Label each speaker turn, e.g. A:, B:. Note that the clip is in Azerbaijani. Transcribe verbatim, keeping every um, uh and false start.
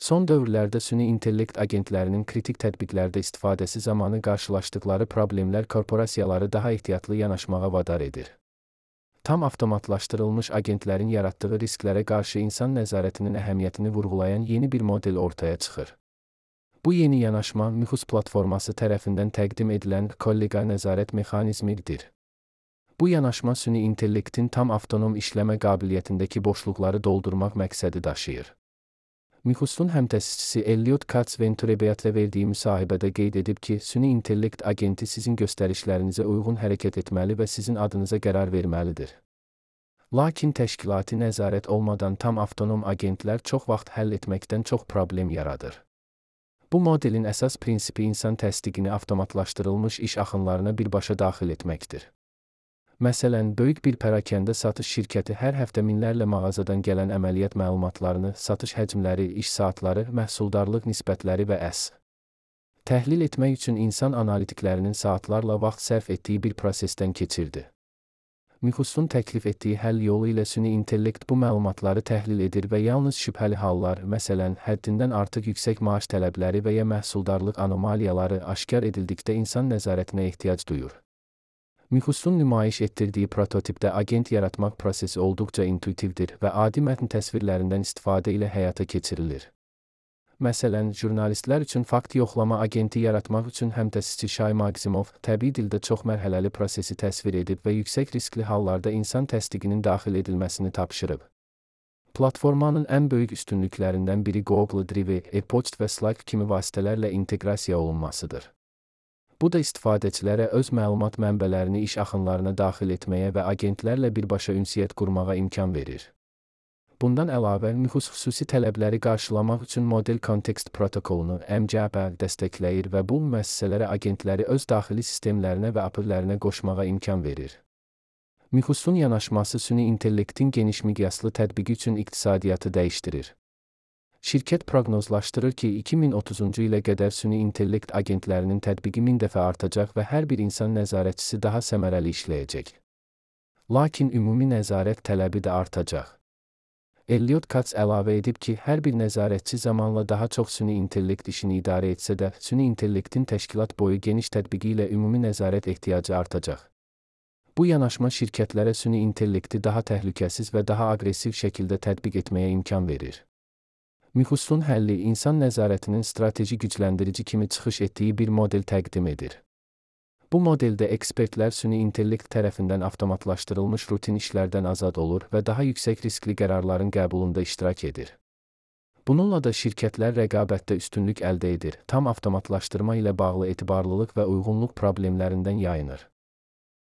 A: Son dövrlərdə süni intellekt agentlərinin kritik tətbiqlərdə istifadəsi zamanı qarşılaşdıqları problemlər korporasiyaları daha ehtiyatlı yanaşmağa vadar edir. Tam avtomatlaşdırılmış agentlərin yaratdığı risklərə qarşı insan nəzarətinin əhəmiyyətini vurğulayan yeni bir model ortaya çıxır. Bu yeni yanaşma Mythos platforması tərəfindən təqdim edilən kollega nəzarət mexanizmidir. Bu yanaşma süni intellektin tam avtonom işləmə qabiliyyətindəki boşluqları doldurmaq məqsədi daşıyır. Mythos'un həmtəsisçisi Elliot Katz Venturebeat'lə verdiyi müsahibədə qeyd edib ki, süni intellekt agenti sizin göstərişlərinizə uyğun hərəkət etməli və sizin adınıza qərar verməlidir. Lakin təşkilati nəzarət olmadan tam avtonom agentlər çox vaxt həll etməkdən çox problem yaradır. Bu modelin əsas prinsipi insan təsdiqini avtomatlaşdırılmış iş axınlarına birbaşa daxil etməkdir. Məsələn, böyük bir pərakəndə satış şirkəti hər həftə minlərlə mağazadan gələn əməliyyat məlumatlarını, satış həcmləri, iş saatları, məhsuldarlıq nisbətləri və əs. təhlil etmək üçün insan analitiklərinin saatlarla vaxt sərf etdiyi bir prosesdən keçirdi. Mythos'un təklif etdiyi həll yolu ilə süni intellekt bu məlumatları təhlil edir və yalnız şübhəli hallar, məsələn, həddindən artıq yüksək maaş tələbləri və ya məhsuldarlıq anomaliyaları aşkar edildikdə insan nəzarətinə ehtiyac duyur. Mythos'un nümayiş etdirdiyi prototipdə agent yaratmaq prosesi olduqca intuitivdir və adi mətn təsvirlərindən istifadə ilə həyata keçirilir. Məsələn, jurnalistlər üçün fakt yoxlama agenti yaratmaq üçün həmtəsisçi Shay Maximov təbii dildə çox mərhələli prosesi təsvir edib və yüksək riskli hallarda insan təsdiqinin daxil edilməsini tapşırıb. Platformanın ən böyük üstünlüklərindən biri Google Drive, e-poçt və Slack kimi vasitələrlə inteqrasiya olunmasıdır. Bu da istifadəçilərə öz məlumat mənbələrini iş axınlarına daxil etməyə və agentlərlə birbaşa ünsiyyət qurmağa imkan verir. Bundan əlavə, Mythos xüsusi tələbləri qarşılamaq üçün model kontekst protokolunu M C P dəstəkləyir və bu müəssisələrə agentləri öz daxili sistemlərinə və A P I-lərinə qoşmağa imkan verir. Mythos'un yanaşması süni intellektin geniş miqyaslı tətbiqi üçün iqtisadiyyatı dəyişdirir. Şirkət proqnozlaşdırır ki, iki min otuzuncu ilə qədər süni intellekt agentlərinin tətbiqi min dəfə artacaq və hər bir insan nəzarətçisi daha səmərəli işləyəcək. Lakin ümumi nəzarət tələbi də artacaq. Elliot Katz əlavə edib ki, hər bir nəzarətçi zamanla daha çox süni intellekt işini idarə etsə də, süni intellektin təşkilat boyu geniş tətbiqi ilə ümumi nəzarət ehtiyacı artacaq. Bu yanaşma şirkətlərə süni intellekti daha təhlükəsiz və daha aqressiv şəkildə tətbiq etməyə imkan verir. Mythos'un həlli insan nəzarətinin strateji gücləndirici kimi çıxış etdiyi bir model təqdim edir. Bu modeldə ekspertlər süni intellekt tərəfindən avtomatlaşdırılmış rutin işlərdən azad olur və daha yüksək riskli qərarların qəbulunda iştirak edir. Bununla da şirkətlər rəqabətdə üstünlük əldə edir, tam avtomatlaşdırma ilə bağlı etibarlılıq və uyğunluq problemlərindən yayınır.